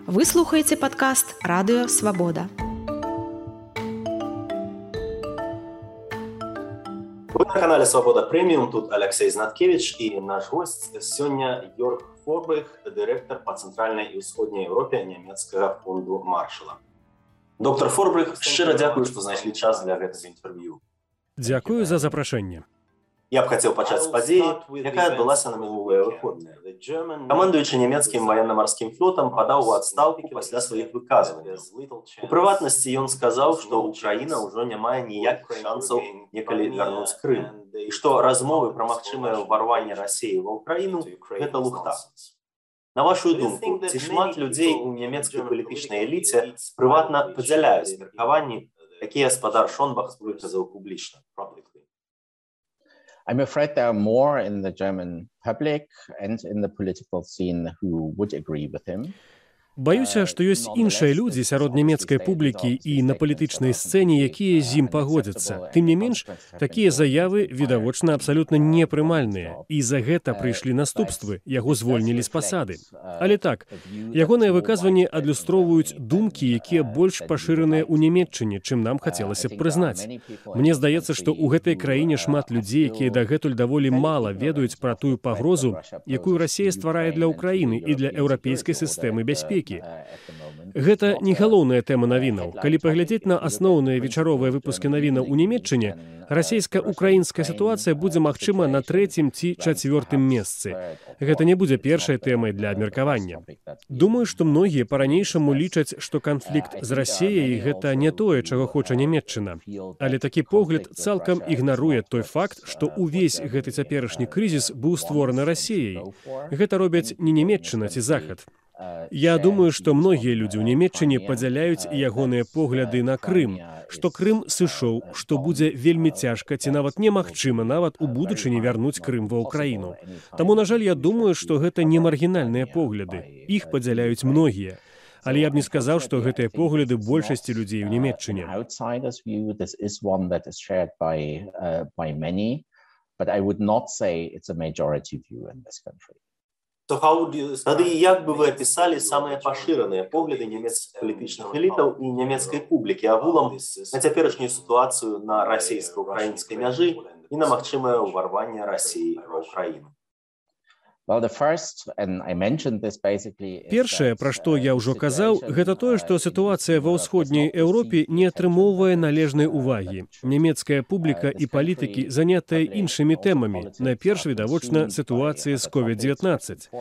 Вы слухаеце падкаст «Радыё Свабода». Вы на канале «Свобода Премиум», тут Алексей Знаткевич и наш гость сегодня Йорг Форбрых, директор по Центральной и Усходней Европе немецкого фонду Маршалла. Доктор Форбрых, щиро дякую, что знайшли час для гэтага інтэрв'ю. Дякую за запрашэнне. Я б хацеў пачаць з падзеі, якая адбылася на мінулыя выходныя. Камандуючы нямецкім ваенна-марскім флотам падаў у адстаўку пасля сваіх выказванняў. У прыватнасці ён сказаў, што Украіна ўжо не мае ніякіх шансаў некалі вярнуць Крым, і што размовы пра магчымае ўварванне Расіі ва Ўкраіну – гэта лухта. На вашу думку, ці шмат людзей у нямецкай палітычнай эліце прыватна падзяляюць меркаванні, якія гаспадар Шонбах выказаў публічна? I'm afraid there are more in the German public and in the political scene who would agree with him. Баюся, што ёсць іншыя людзі сярод нямецкай публікі і на палітычнай сцэне, якія з ім пагодзяцца. Тым не менш, такія заявы, відавочна, абсалютна непрымальныя. І за гэта прыйшлі наступствы, яго звольнілі з пасады. Але так, ягоныя выказванні адлюстроўваюць думкі, якія больш пашыраныя ў Нямецчыне, чым нам хацелася б прызнаць. Мне здаецца, што ў гэтай краіне шмат людзей, якія дагэтуль даволі мала ведаюць пра тую пагрозу, якую Расія стварае для Ўкраіны і для еўрапейскай сістэмы бяспекі. Гэта не галоўная тэма навінаў. Калі паглядзець на асноўныя вечаровыя выпускі навінаў у Нямецчыне, расійска-украінская сітуацыя будзе, магчыма, на 3-м ці 4-м месцы. Гэта не будзе першай тэмай для абмеркавання. Думаю, што многія па-ранейшаму лічаць, што канфлікт з Расіяй – гэта не тое, чаго хоча Нямецчына. Але такі погляд цалкам ігнаруе той факт, што ўвесь гэты цяперашні крызіс быў створаны Расіяй. Гэта робяць не Нямецчына ці Захад. Я думаю, што многія людзі ў Нямецчыне падзяляюць ягоныя погляды на Крым, што Крым сышоў, што будзе вельмі цяжка ці нават немагчыма нават у будучыні вярнуць Крым ва Ўкраіну. Таму, на жаль, я думаю, што гэта не маргінальныя погляды. Іх падзяляюць многія. Але я б не сказаў, што гэтыя погляды большасці людзей у Нямецчыне. Тады як бы вы апісалі самыя пашыраныя погляды нямецкіх палітычных элітаў і нямецкай публікі агулам на цяперашнюю сітуацыю на расійска-украінскай мяжы і на магчымае ўварванне Расіі ва Ўкраіну? Першае, пра што я ўжо казаў, гэта тое, што сітуацыя ва ўсходняй Еўропе не атрымоўвае належнай увагі. Нямецкая публіка і палітыкі занятыя іншымі тэмамі. Найперш, відавочна, сітуацыя з COVID-19.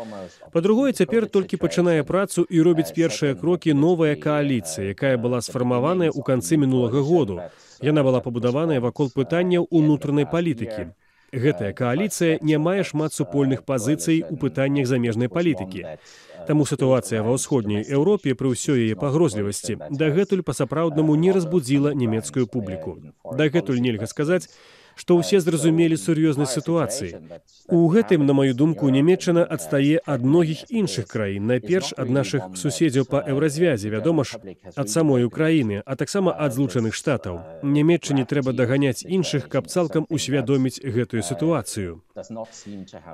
Па-другое, цяпер толькі пачынае працу і робіць першыя крокі новая кааліцыя, якая была сфармаваная ў канцы мінулага году. Яна была пабудаваная вакол пытанняў унутранай палітыкі. Гэтая кааліцыя не мае шмат супольных пазіцый у пытаннях замежнай палітыкі. Таму сітуацыя ва ўсходняй Еўропе пры ўсёй яе пагрозлівасці дагэтуль па-сапраўднаму не разбудзіла нямецкую публіку. Дагэтуль нельга сказаць, што ўсе зразумелі сур'ёзнасць сітуацыі. У гэтым, на маю думку, Нямецчына адстае ад многіх іншых краін, найперш ад нашых суседзяў па еўразвязе, вядома ж, ад самой Украіны, а таксама ад Злучаных Штатаў. Нямецчыне трэба даганяць іншых, каб цалкам усвядоміць гэтую сітуацыю.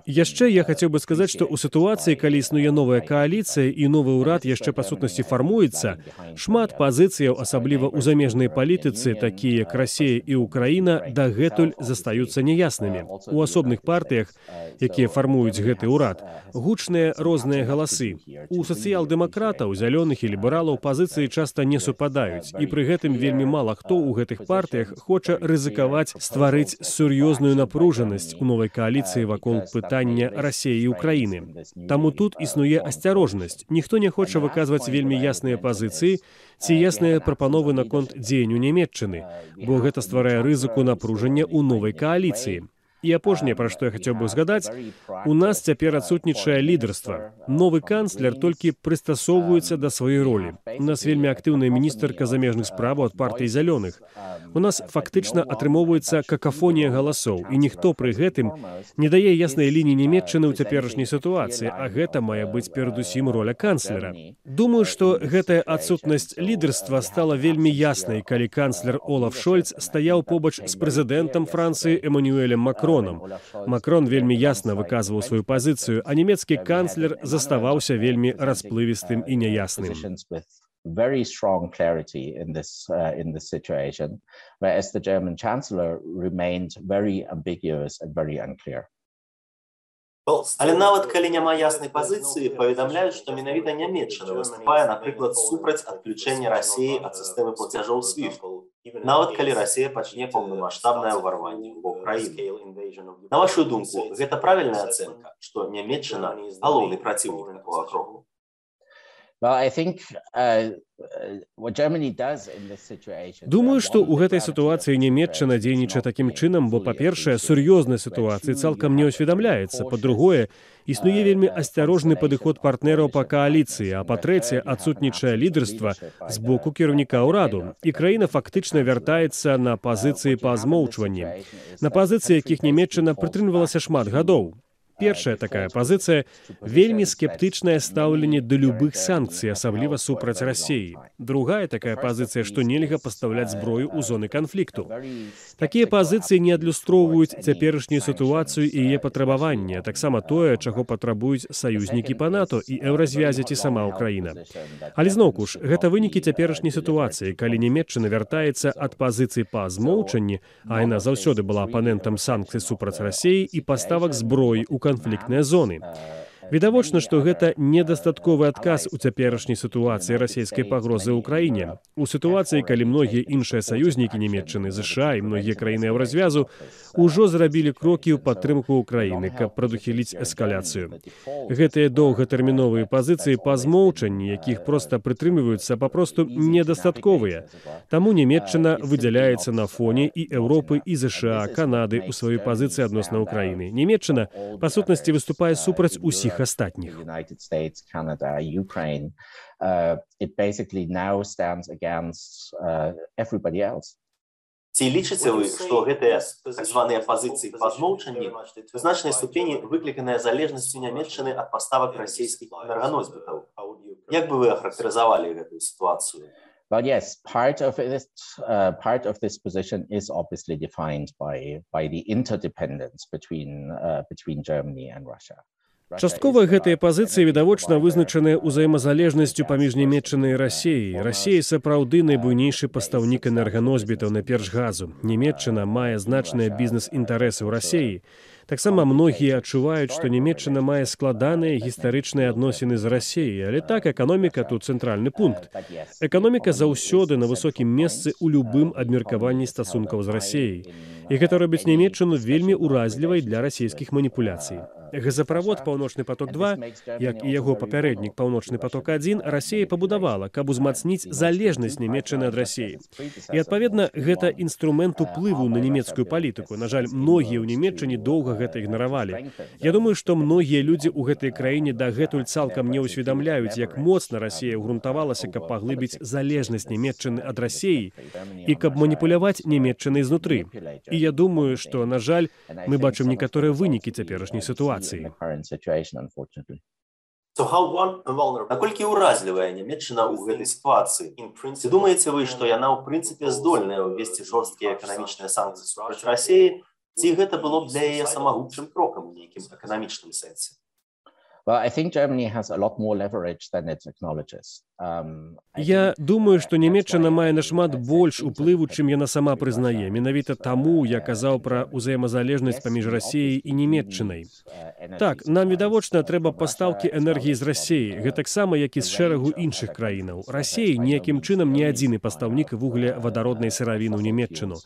Яшчэ я хацеў бы сказаць, што ў сітуацыі, калі існуе новая кааліцыя і новы ўрад яшчэ па сутнасці фармуецца, шмат пазіцыяў, асабліва ў замежнай палітыцы, такія як Расія і Украіна, дагэтуль застаюцца няяснымі. У асобных партыях, якія фармуюць гэты ўрад, гучныя розныя галасы. У сацыял-дэмакратаў, зялёных і лібералаў пазіцыі часта не супадаюць, і пры гэтым вельмі мала хто ў гэтых партыях хоча рызыкаваць стварыць сур'ёзную напружанасць у новай кааліцыі вакол пытання Расіі і Ўкраіны. Таму тут існуе асцярожнасць. Ніхто не хоча выказваць вельмі ясныя пазіцыі ці ясныя прапановы наконт дзеянню Нямецчыны, бо гэта стварае рызыку напружання ў новай кааліцыі. І апошняе, пра што я хацеў бы згадаць, у нас цяпер адсутнічае лідарства. Новы канцлер толькі прыстасоўваецца да сваёй ролі. У нас вельмі актыўная міністэрка замежных справаў ад партыі зялёных. У нас фактычна атрымоўваецца какафонія галасоў, і ніхто пры гэтым не дае яснай лініі Нямецчыны ў цяперашняй сітуацыі, а гэта мае быць перадусім роля канцлера. Думаю, што гэтая адсутнасць лідарства стала вельмі яснай, калі канцлер Олаф Шольц стаяў побач з прэзідэнтам Францыі Эмануэлем Макроном Макроном. Макрон вельмі ясна выказваў сваю пазіцыю, а нямецкі канцлер заставаўся вельмі расплывістым і няясным. Very strong clarity in this situation, whereas the German Chancellor remained very ambiguous and very unclear. Але нават калі няма яснай пазіцыі, паведамляюць, што менавіта Нямецчына выступае, напрыклад, супраць адключэння Расіі ад сістэмы плацяжоў SWIFT, нават калі Расія пачне паўнамаштабнае ўварванне ў краіну. На вашу думку, гэта правільная ацэнка, што Нямецчына галоўны праціўнік такога кроку? Well, I think what Germany does in this situation. Думаю, што ў гэтай сітуацыі Нямецчына дзейнічае такім чынам, бо, па-першае, сур'ёзнай сітуацыі цалкам не ўсведамляецца, па-другое, існуе вельмі асцярожны падыход партнераў па кааліцыі, а па-трэцяе, адсутнічае лідарства з боку кіраўніка ўраду, і краіна фактычна вяртаецца на пазіцыі па змоўчванні, на пазіцыі, якіх Нямецчына прытрымлівалася шмат гадоў. Першая такая пазіцыя – вельмі скептычнае стаўленне да любых санкцый, асабліва супраць Расіі. Другая такая пазіцыя, што нельга пастаўляць зброю ў зоны канфлікту. Такія пазіцыі не адлюстроўваюць цяперашнюю сітуацыю і яе патрабаванне, таксама тое, чаго патрабуюць саюзнікі па НАТО і еўразвязі ці сама Ўкраіна. Але зноўку ж, гэта вынікі цяперашняй сітуацыі, калі Нямецчына вяртаецца ад пазіцый па змоўчанні, а яна заўсёды была апанентам санкцый супраць Расіі і паставак зброі ў канфліктныя зоны. Відавочна, што гэта недастатковы адказ у цяперашняй сітуацыі расійскай пагрозы ў краіне. У сітуацыі, калі многія іншыя саюзнікі Нямецчыны, ЗША і многія краіны еўразвязу ўжо зрабілі крокі ў падтрымку ўкраіны, каб прадухіліць эскаляцыю. Гэтыя доўгатэрміновыя пазіцыі па змоўчанні, якіх проста прытрымліваюцца, папросту недастатковыя. Таму Нямецчына выдзяляецца на фоне і Еўропы, і ЗША, Канады ў сваёй пазіцыі адносна Ўкраіны. Нямецчына, па сутнасці, выступае супраць усіх астатніх. United States, Canada, Ukraine, it basically now stands against everybody else. Ці лічыце вы, што гэтыя так званыя пазіцыі па змоўчанні у значнай ступені выкліканыя залежнасцю Нямецчыны ад паставак расійскіх энерганосьбітаў? Як бы вы ахарактарызавалі гэтую сітуацыю? But yes, part of this position is obviously defined by the interdependence between Germany and Russia. Часткова гэтыя пазіцыі відавочна вызначаныя ўзаемазалежнасцю паміж Нямецчынай і Расіяй. Расія сапраўды найбуйнейшы пастаўнік энерганосьбітаў на перш газу. Нямецчына мае значныя бізнес-інтарэсы ў Расіі. Таксама многія адчуваюць, што Нямецчына мае складаныя гістарычныя адносіны з Расіяй, але так, эканоміка тут цэнтральны пункт. Эканоміка заўсёды на высокім месцы ў любым абмеркаванні стасункаў з Расіяй. І гэта робіць Нямецчыну вельмі ўразлівай для расійскіх маніпуляцый. Газаправод «Паўночны поток-2», як і яго папярэднік «Паўночны поток-1», Расія пабудавала, каб узмацніць залежнасць Нямецчыны ад Расіі. І, адпаведна, гэта інструмент уплыву на нямецкую палітыку. На жаль, многія ў Нямецчыне доўга гэта ігнаравалі. Я думаю, што многія людзі ў гэтай краіне дагэтуль цалкам не ўсведамляюць, як моцна Расія ўгрунтавалася, каб паглыбіць залежнасць Нямецчыны ад Расіі і каб маніпуляваць Нямецчынай знутры. І я думаю, што, на жаль, мы бачым некаторыя вынікі цяперашняй сітуацыі. Наколькі ўразлівая Нямецчына ў гэтай сітуацыі? Ці думаеце вы, што яна ў прынцыпе здольная ўвесці жорсткія эканамічныя санкцыі супраць Расіі, ці гэта было б для яе самагубчым крокам у нейкім эканамічным сэнсе? Well, I think Germany has a lot more leverage than it acknowledges. Я думаю, што Нямецчына мае нашмат больш уплыву, чым яна сама прызнае. Менавіта таму я казаў пра ўзаемазалежнасць паміж Расіяй і Нямецчынай. Так, нам відавочна трэба пастаўкі энергіі з Расіі, гэтаксама, як і з шэрагу іншых краінаў. Расія ніякім чынам не адзіны пастаўнік вуглевадароднай сыравіны ў Нямецчыну.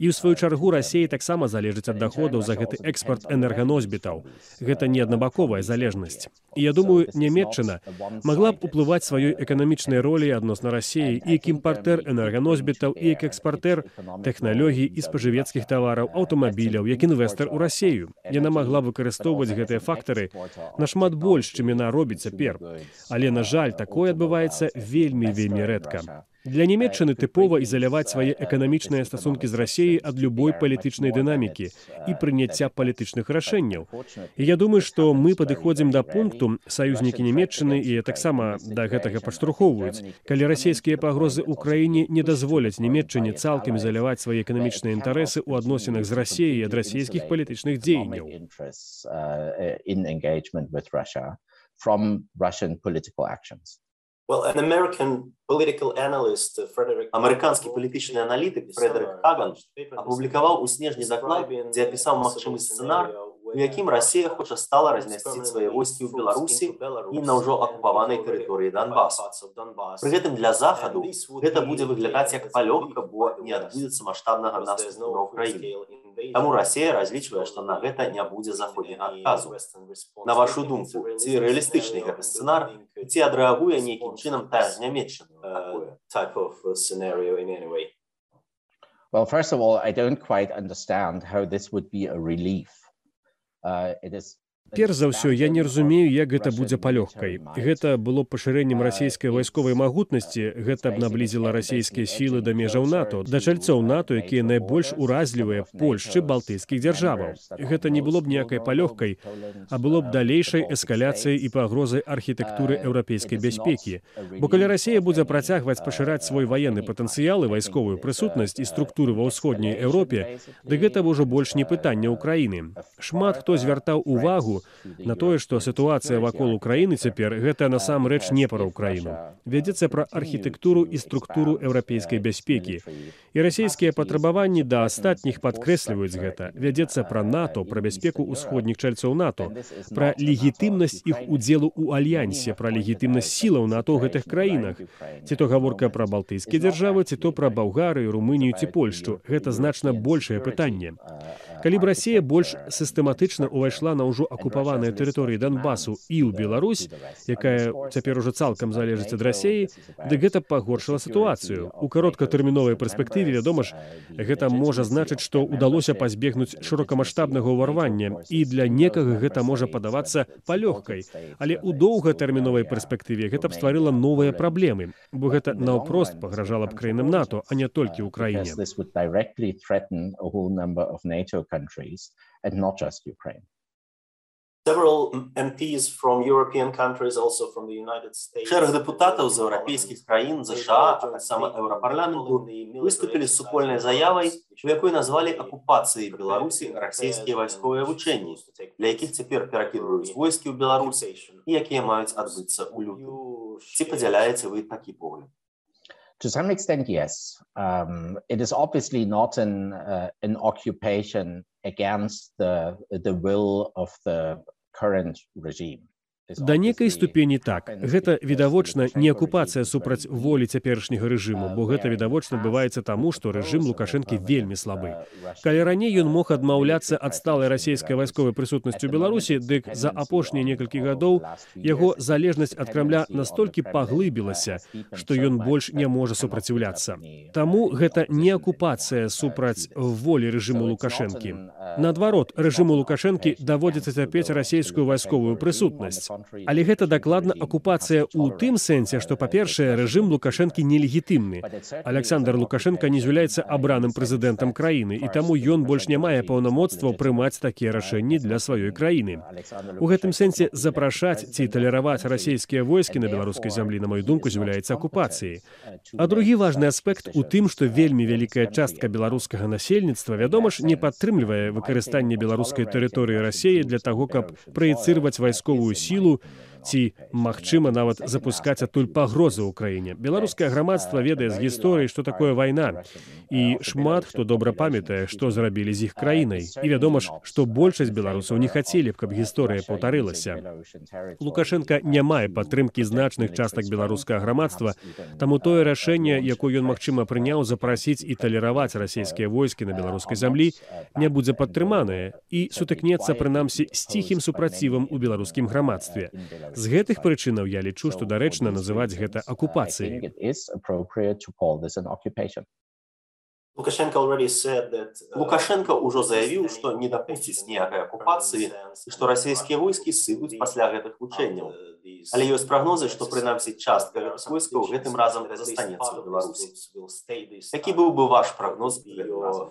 І ў сваю чаргу Расія таксама залежыць ад даходаў за гэты экспарт энерганосьбітаў. Гэта не аднабаковая залежнасць. І я думаю, Нямецчына магла б уплываць сваёй эканамічнай ролі адносна Расіі і як імпартэр энерганосьбітаў, і як экспартэр тэхналогій і спажывецкіх тавараў, аўтамабіляў, як інвестар у Расію. Яна магла выкарыстоўваць гэтыя фактары нашмат больш, чым яна робіць цяпер. Але, на жаль, такое адбываецца вельмі рэдка. Для Нямецчыны тыпова ізаляваць свае эканамічныя стасункі з Расіяй ад любой палітычнай дынамікі і прыняцця палітычных рашэнняў. І я думаю, што мы падыходзім да пункту, саюзнікі Нямецчыны і таксама да гэтага падштурхоўваюць, калі расійскія пагрозы ўкраіне не дазволяць Нямецчыне цалкам ізаляваць свае эканамічныя інтарэсы ў адносінах з Расіяй ад расійскіх палітычных дзеянняў. Американский политический аналитик Фредерик Хаган опубликовал у снежні доклад, дзе апісаў магчымы сцэнар, у якім Расія хоча стала размясціць свае войскі ў Беларусі і на ўжо акупаванай тэрыторыі Донбасу. Пры гэтым для Захаду гэта будзе выглядаць як палёгка, бо не адбудзецца маштабнага наступу на Ўкраіну. Таму Расія разлічвае, што на гэта не будзе заходняга адказу. На вашу думку, ці рэалістычны гэты сцэнар, ці адрэагуе нейкім чынам тая ж Нямецчына на такое? Well, first of all, I don't quite understand how this would be a relief. Перш за ўсё, я не разумею, як гэта будзе палёгкай. Гэта было б пашырэннем расійскай вайсковай магутнасці, гэта б наблізіла расійскія сілы да межаў НАТО, да чальцоў НАТО, якія найбольш уразлівыя Польшчы, балтыйскіх дзяржаваў. Гэта не было б ніякай палёгкай, а было б далейшай эскаляцыяй і пагрозай архітэктуры еўрапейскай бяспекі. Бо калі Расія будзе працягваць пашыраць свой ваенны патэнцыял і вайсковую прысутнасць і структуры ва ўсходняй Еўропе, дык гэта ўжо больш не пытанне Ўкраіны. Шмат хто звяртаў увагу на тое, што сітуацыя вакол Украіны цяпер гэта насамрэч не пра Ўкраіну. Вядзецца пра архітэктуру і структуру еўрапейскай бяспекі. І расійскія патрабаванні да астатніх падкрэсліваюць гэта. Вядзецца пра НАТО, пра бяспеку ўсходніх чальцоў НАТО, пра легітымнасць іх удзелу ў альянсе, пра легітымнасць сілаў НАТО ў гэтых краінах. Ці то гаворка пра балтыйскія дзяржавы, ці то пра Балгарыю, Румынію ці Польшчу. Гэта значна большае пытанне. Калі б Расія больш сістэматычна ўвайшла на ўжо акупаваныя тэрыторыі Донбасу і ў Беларусь, якая цяпер ужо цалкам залежыць ад Расіі, дык гэта пагоршыла сітуацыю. У кароткатэрміновай перспектыве, вядома ж, гэта можа значыць, што ўдалося пазбегнуць шырокамаштабнага ўварвання, і для некага гэта можа падавацца палёгкай. Але ў доўгатэрміновай перспектыве гэта б стварыла новыя праблемы, бо гэта наўпрост пагражала б краінам НАТО, а не толькі ўкраіне. Countries and not just Ukraine. Шэраг дэпутатаў з еўрапейскіх краін, ЗША, а таксама Еўрапарламенту выступілі з супольнай заявай, у якой назвалі акупацыяй Беларусі расійскія вайсковыя вучэнні, для якіх цяпер перакідваюць войскі ў Беларусь і якія маюць адбыцца ў лютым. Ці падзяляеце вы такі погляд? To some extent, yes. It is obviously not an occupation against the will of the current regime. Да некай ступені так. Гэта, відавочна, не акупацыя супраць волі цяперашняга рэжыму, бо гэта, відавочна, адбываецца таму, што рэжым Лукашэнкі вельмі слабы. Калі раней ён мог адмаўляцца ад сталай расійскай вайсковай прысутнасці ў Беларусі, дык за апошнія некалькі гадоў яго залежнасць ад Крамля настолькі паглыбілася, што ён больш не можа супраціўляцца. Таму гэта не акупацыя супраць волі рэжыму Лукашэнкі. Наадварот, рэжыму Лукашэнкі даводзіцца цярпець расійскую вайсковую прысутнасць. Але гэта дакладна акупацыя ў тым сэнсе, што, па-першае, рэжым Лукашэнкі нелегітымны. Аляксандр Лукашенка не з'яўляецца абраным прэзідэнтам краіны, і таму ён больш не мае паўнамоцтваў прымаць такія рашэнні для сваёй краіны. У гэтым сэнсе запрашаць ці талераваць расійскія войскі на беларускай зямлі, на маю думку, з'яўляецца акупацыяй. А другі важны аспект у тым, што вельмі вялікая частка беларускага насельніцтва, вядома ж, не падтрымлівае выкарыстанне беларускай тэрыторыі Расіі для таго, каб праецырваць вайсковую сілу ці, магчыма, нават запускаць адтуль пагрозы ў краіне. Беларускае грамадства ведае з гісторыі, што такое вайна. І шмат хто добра памятае, што зрабілі з іх краінай. І вядома ж, што большасць беларусаў не хацелі б, каб гісторыя паўтарылася. Лукашенка не мае падтрымкі значных частак беларускага грамадства, таму тое рашэнне, якое ён, магчыма, прыняў запрасіць і талераваць расійскія войскі на беларускай зямлі, не будзе падтрыманае і сутыкнецца, прынамсі, з ціхім супрацівам у беларускім грамадстве. З гэтых прычынаў я лічу, што дарэчна называць гэта акупацыяй. Лукашенко ўжо заявіў, што не дапусціць ніякай акупацыі і што расійскія войскі сыдуць пасля гэтых вучэнняў. Але ёсць прагнозы, што прынамсі частка гэтых войскаў гэтым разам застанецца ў Беларусі. Які быў бы ваш прагноз гэтым разам?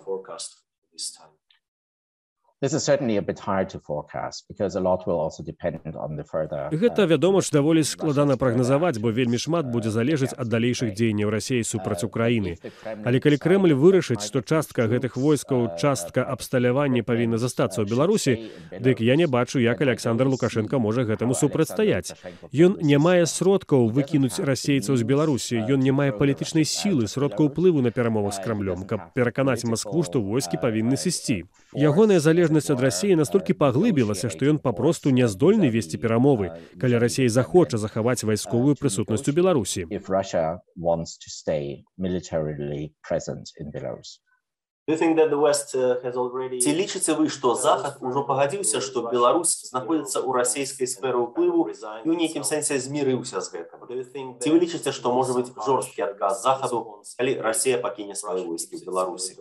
This is certainly a bit hard to forecast because a lot will also depend on the further. Гэта, вядома ж, даволі складана прагназаваць, бо вельмі шмат будзе залежаць ад далейшых дзеянняў Расіі супраць Украіны. Але калі Крэмль вырашыць, што частка гэтых войскаў, частка абсталявання павінна застацца ў Беларусі, дык я не бачу, як Александр Лукашенко можа гэтаму супрацьстаяць. Ён не мае сродкаў выкінуць расейцаў з Беларусі, ён не мае палітычнай сілы, сродкаў уплыву на перамовах з Крамлём, каб пераканаць Маскву, што войскі павінны сысці. Ягоная залежнасць ад Расіі настолькі паглыбілася, што ён папросту не здольны весці перамовы, калі Расія захоча захаваць вайсковую прысутнасць у Беларусі. Ці лічыце вы, што Захад ужо пагадзіўся, што Беларусь знаходзіцца ў расійскай сферы ўплыву і ў нейкім сэнсе змірыўся з гэтым? Ці вы лічыце, што можа быць жорсткі адказ Захаду, калі Расія пакіне свае войскі ў Беларусі?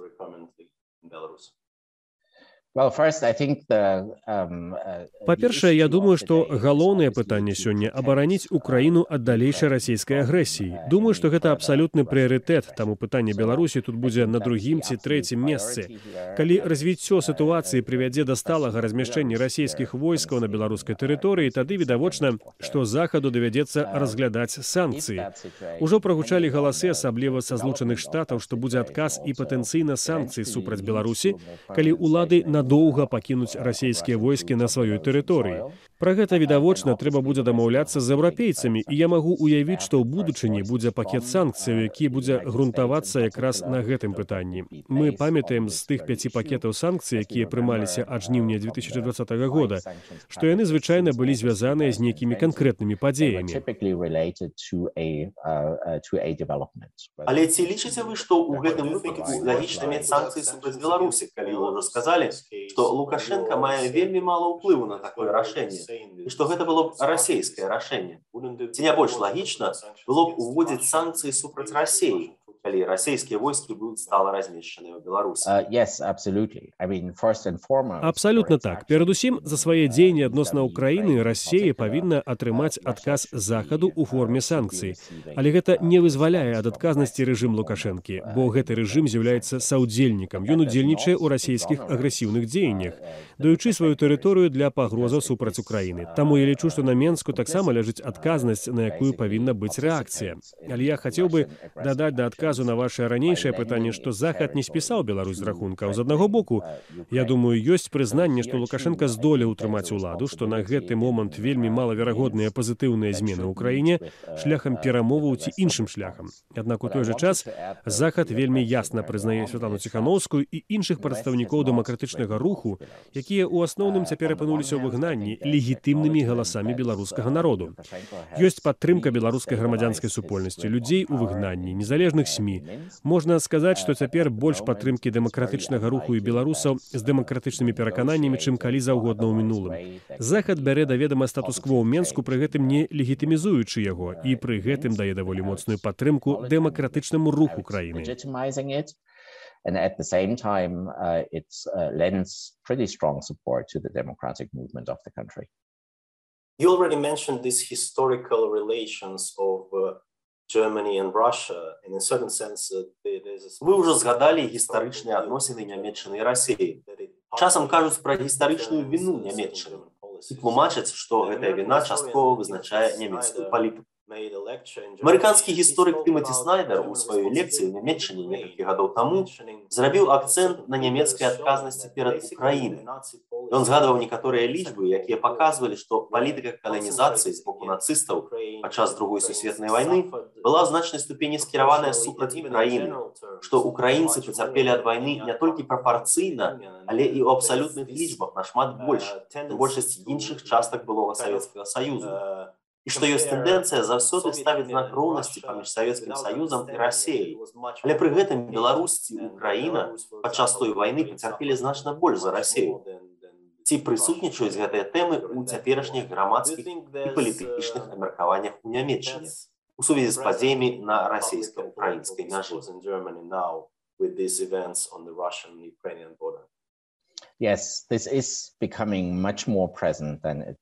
Па-першае, я думаю, што галоўнае пытанне сёння абараніць Украіну ад далейшай расійскай агрэсіі. Думаю, што гэта абсалютны прыярытэт, таму пытанне Беларусі тут будзе на другім ці трэцім месцы. Калі развіццё сітуацыі прывядзе да сталага размяшчэння расійскіх войскаў на беларускай тэрыторыі, тады відавочна, што Захаду давядзецца разглядаць санкцыі. Ужо прагучалі галасы, асабліва са Злучаных Штатаў, што будзе адказ і патэнцыйна санкцый супраць Беларусі, калі ўлады надоўга пакінуць расійскія войскі на сваёй тэрыторыі. Пра гэта, відавочна, трэба будзе дамаўляцца з еўрапейцамі, і я магу ўявіць, што ў будучыні будзе пакет санкцыяў, які будзе грунтавацца якраз на гэтым пытанні. Мы памятаем з тых 5 пакетаў санкцый, якія прымаліся ад жніўня 2020 года, што яны звычайна былі звязаныя з нейкімі канкрэтнымі падзеямі. Але ці лічыце вы, што ў гэтым выпадку лагічна мець санкцыі супраць Беларусі, калі вы ўжо сказалі, што Лукашенко мае вельмі мала ўплыву на такое рашэнне, і што гэта было б расійскае рашэнне? Ці не больш лагічна было б уводзіць санкцыі супраць Расіі, калі расійскія войскі будуць стала размешчаныя ў Беларусі? Абсалютна так. Перадусім, за свае дзеянні адносна Украіны Расія павінна атрымаць адказ Захаду ў форме санкцый. Але гэта не вызваляе ад адказнасці рэжым Лукашэнкі, бо гэты рэжым з'яўляецца саўдзельнікам. Ён удзельнічае ў расійскіх агрэсіўных дзеяннях, даючы сваю тэрыторыю для пагрозаў супраць Украіны. Таму я лічу, што на Менску таксама ляжыць адказнасць, на якую павінна быць рэакцыя. Але я хацеў бы дадаць да адказу на вашае ранейшае пытанне, што Захад не спісаў Беларусь з рахункаў. З аднаго боку, я думаю, ёсць прызнанне, што Лукашенко здолеў утрымаць уладу, што на гэты момант вельмі малаверагодныя пазітыўныя змены ў краіне шляхам перамоваў ці іншым шляхам. Аднак у той жа час Захад вельмі ясна прызнае Святлану Ціханаўскую і іншых прадстаўнікоў дэмакратычнага руху, якія ў асноўным цяпер апынуліся ў выгнанні легітымнымі галасамі беларускага народу. Ёсць падтрымка беларускай грамадзянскай супольнасці, людзей у выгнанні, незалежных СМІ. Можна сказаць, што цяпер больш падтрымкі дэмакратычнага руху і беларусаў з дэмакратычнымі перакананнямі, чым калі заўгодна ў мінулым. Захад бярэ да ведама статус-кво ў Менску, пры гэтым не легітымізуючы яго, і пры гэтым дае даволі моцную падтрымку дэмакратычнаму руху краіны. And at the same time, it lends pretty strong support to the democratic movement of the country. You already mentioned these historical relations of Germany and Russia, and in a certain sense, вы ўжо згадалі гістарычныя адносіны Нямецчыны і Расіі. Часам кажуць пра гістарычную віну Нямецчыны і тлумачаць, што гэтая віна часткова вызначае нямецкую палітыку. Амерыканскі гісторык Тымаці Снайдер у сваёй лекцыі ў Нямецчыне некалькі гадоў таму зрабіў акцэнт на нямецкай адказнасці перад Украінай. Ён згадваў некаторыя лічбы, якія паказвалі, што палітыка каланізацыі з боку нацыстаў падчас Другой сусветнай вайны была ў значнай ступені скіраваная супраць Украіны, што украінцы пацярпелі ад вайны не толькі прапарцыйна, але і ў абсалютных лічбах нашмат больш, чым большасць іншых частак былога Савецкага Саюзу. І што ёсць тэндэнцыя заўсёды ставіць знак роўнасці паміж Савецкім Саюзам і Расіяй. Але пры гэтым Беларусь ці Украіна падчас той вайны пацярпелі значна больш за Расію. Ці прысутнічаюць гэтыя тэмы ў цяперашніх грамадскіх і палітычных абмеркаваннях у Нямецчыне у сувязі з падзеямі на расійска-украінскай мяжы? with these events on the Russian-Ukrainian border. Yes, this is becoming much more present than it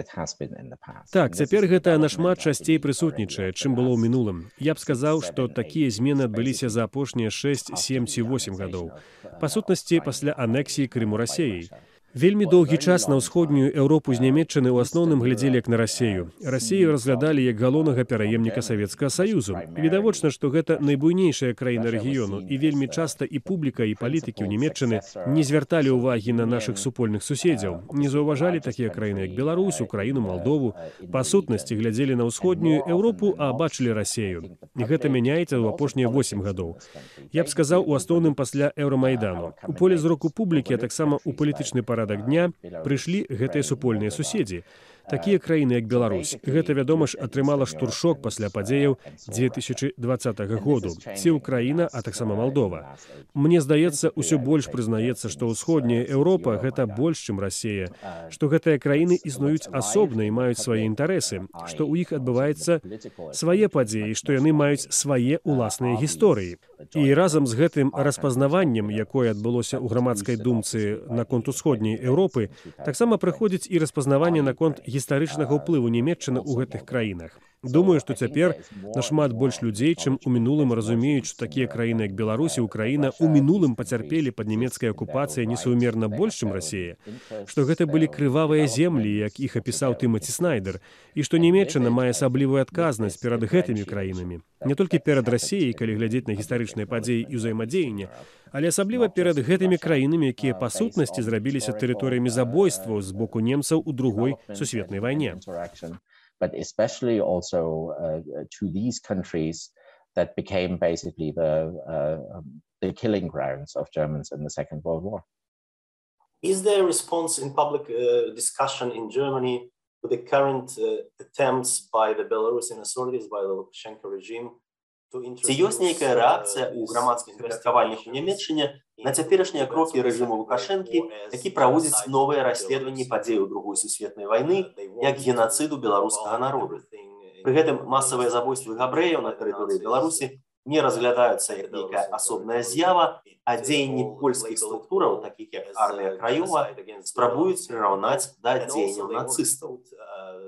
has been in the past. Так, цяпер гэта нашмат часцей прысутнічае, чым было ў мінулым. Я б сказаў, што такія змены адбыліся за апошнія 6, 7 ці 8 гадоў. Па сутнасці, пасля анексіі Крыму Расеяй. Вельмі доўгі час на ўсходнюю Еўропу з Нямецчыны ў асноўным глядзелі як на Расею. Расею разглядалі як галоўнага пераемніка Савецкага Саюзу. Відавочна, што гэта найбуйнейшая краіна рэгіёну, і вельмі часта і публіка, і палітыкі ў Нямецчыны не звярталі ўвагі на нашых супольных суседзяў, не заўважалі такія краіны, як Беларусь, Украіну, Малдову. Па сутнасці глядзелі на ўсходнюю Еўропу, а бачылі Расею. І гэта мяняецца ў апошнія 8 гадоў. Я б сказаў, у асноўным пасля Еўрамайдану. У поле зроку публікі, а таксама ў палітычны парадак дня прыйшлі гэтыя супольныя суседзі. Такія краіны, як Беларусь. Гэта, вядома ж, атрымала штуршок пасля падзеяў 2020 году. Ці Украіна, а таксама Малдова. Мне здаецца, усё больш прызнаецца, што ўсходняя Еўропа – гэта больш, чым Расея, што гэтыя краіны існуюць асобна і маюць свае інтарэсы, што ў іх адбываецца свае падзеі, што яны маюць свае ўласныя гісторыі. І разам з гэтым распазнаваннем, якое адбылося ў грамадскай думцы наконт усходняй Еўропы, таксама прыходзіць і распазнаванне наконт гістарычнага ўплыву Нямецчыны ў гэтых краінах. Думаю, што цяпер нашмат больш людзей, чым у мінулым разумеюць, што такія краіны, як Беларусь і Украіна, у мінулым пацярпелі пад нямецкай акупацыяй несумерна больш, чым Расея, што гэта былі крывавыя землі, як іх апісаў Тымаці Снайдер, і што Нямецчына мае асаблівую адказнасць перад гэтымі краінамі. Не толькі перад Расеяй, калі глядзець на гістарычныя падзеі і ўзаемадзеянне, але асабліва перад гэтымі краінамі, якія па сутнасці зрабіліся тэрыторыямі забойстваў з боку немцаў у Другой сусветнай вайне. But especially also to these countries that became basically the killing grounds of Germans in the Second World War. Is there a response in public discussion in Germany to the current attempts by the Belarusian authorities, by the Lukashenko regime? Ці ёсць нейкая рэакцыя ў грамадскіх меркаваннях у Нямецчыне на цяперашнія крокі рэжыму Лукашэнкі, які праводзіць новыя расследаванні падзеяў Другой сусветнай вайны як генацыду беларускага народу. Пры гэтым масавыя забойствы габрэяў на тэрыторыі Беларусі не разглядаюцца як нейкая асобная з'ява, а дзеянні польскіх структураў, такіх як армія Краёва, спрабуюць прыраўнаць да дзеянняў нацыстаў.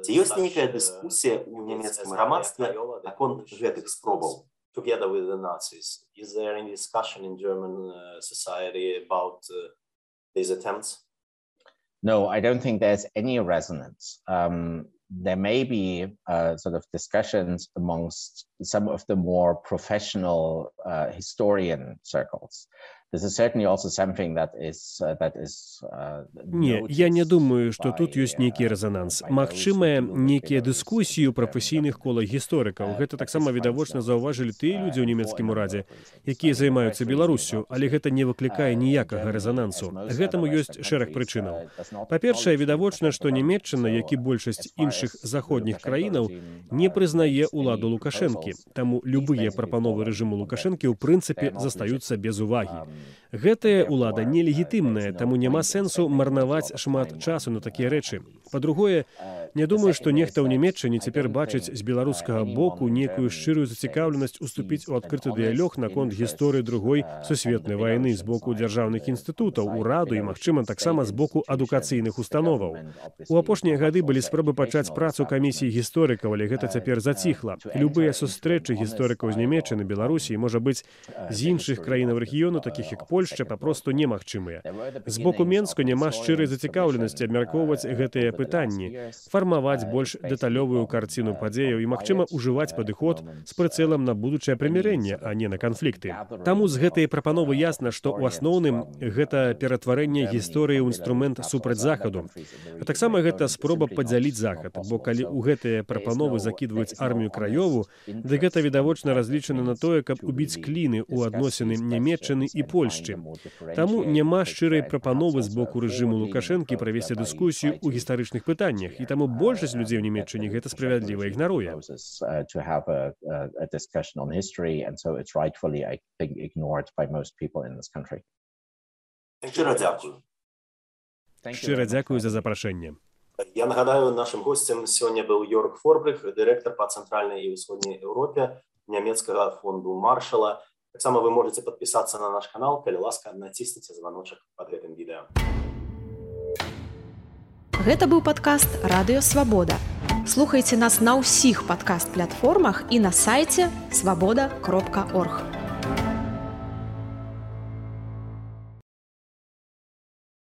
Ці ёсць нейкая дыскусія ў нямецкім грамадстве наконт гэтых спробаў? Together with the Nazis. Is there any discussion in German society about these attempts? No, I don't think there's any resonance. There may be sort of discussions amongst some of the more professional historian circles. This is certainly also something that is Не, я не думаю, што тут ёсць нейкі рэзананс. Магчымая нейкія дыскусіі ў прафесійных колах гісторыкаў. Гэта таксама відавочна заўважылі тыя людзі ў нямецкім урадзе, якія займаюцца Беларуссю, але гэта не выклікае ніякага рэзанансу. Гэтаму ёсць шэраг прычынаў. Па-першае, відавочна, што Нямецчына, як і большасць іншых заходніх краінаў, не прызнае ўладу Лукашэнкі. Таму любыя прапановы рэжыму Лукашэнкі ў прынцыпе застаюцца без увагі. Гэтая ўлада нелегітымная, таму няма сэнсу марнаваць шмат часу на такія рэчы. Па-другое, не думаю, што нехта ў Нямецчыне цяпер бачыць з беларускага боку нейкую шчырую зацікаўленасць уступіць у адкрыты дыялог наконт гісторыі Другой сусветнай вайны з боку дзяржаўных інстытутаў, ураду і, магчыма, таксама з боку адукацыйных установаў. У апошнія гады былі спробы пачаць працу камісіі гісторыкаў, але гэта цяпер заціхла. Любыя сустрэчы гісторыкаў з Нямецчыны, Беларусі, можа быць, з іншых краінаў рэгіёну, такіх як Польшча, папросту немагчымыя. З боку Менску няма шчырай зацікаўленасці абмяркоўваць гэтыя пытанні, фармаваць больш дэталёвую карціну падзеяў і, магчыма, ужываць падыход з прыцэлам на будучае прымірэнне, а не на канфлікты. Таму з гэтай прапановы ясна, што ў асноўным гэта ператварэнне гісторыі ў інструмент супраць Захаду. А таксама гэта спроба падзяліць Захад, бо калі ў гэтыя прапановы закідваюць армію Краёву, дык гэта відавочна разлічана на тое, каб убіць кліны ў адносіны Нямецчыны і Польшчы. Таму няма шчырай прапановы з боку рэжыму Лукашэнкі правесці дыскусію ў гістарычных пытаннях, і таму большасць людзей у Нямецчыне гэта справядліва ігнаруе. Шчыра дзякую. Шчыра дзякую за запрашэнне. Я нагадаю, нашым госцем сёння быў Йорк Форбрых, дырэктар па цэнтральнай і ўсходняй Еўропе нямецкага фонду Маршала. Таксама вы можете подписаться на наш канал, калі ласка, націсніце званочак под гэтым відэа. Гэта быў падкаст «Радыё Свабода». Слухайце нас на ўсіх падкаст-платформах і на сайце свабода.орг.